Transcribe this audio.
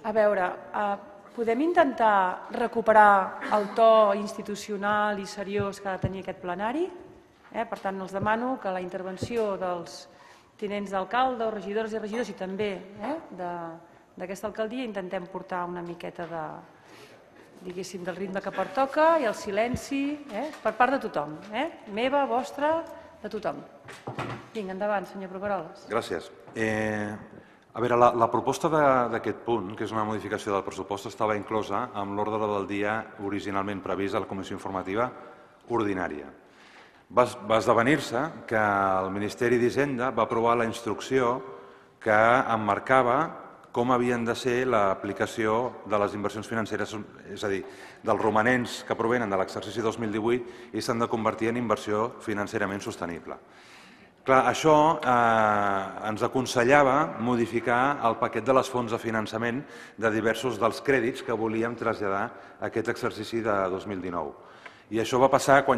A veure, podem intentar recuperar el to institucional i seriós que ha de tenir aquest plenari? Per tant, els demano que la intervenció dels tinents d'alcalde o regidores i regidors i també d'aquesta alcaldia intentem portar una miqueta diguéssim, del ritme que pertoca i el silenci per part de tothom, meva, vostra, de tothom. Vinga, endavant, senyor Proveroles. Gràcies. A veure, la proposta d'aquest punt, que és una modificació del pressupost, estava inclosa en l'ordre del dia originalment previst a la comissió informativa ordinària. Va esdevenir-se que el Ministeri d'Hisenda va aprovar la instrucció que emmarcava com havien de ser l'aplicació de les inversions financeres, és a dir, dels romanents que provenen de l'exercici 2018 i s'han de convertir en inversió financerament sostenible. Clar, això ens aconsellava modificar el paquet de les fonts de finançament de diversos dels crèdits que volíem traslladar a aquest exercici de 2019. I això va passar quan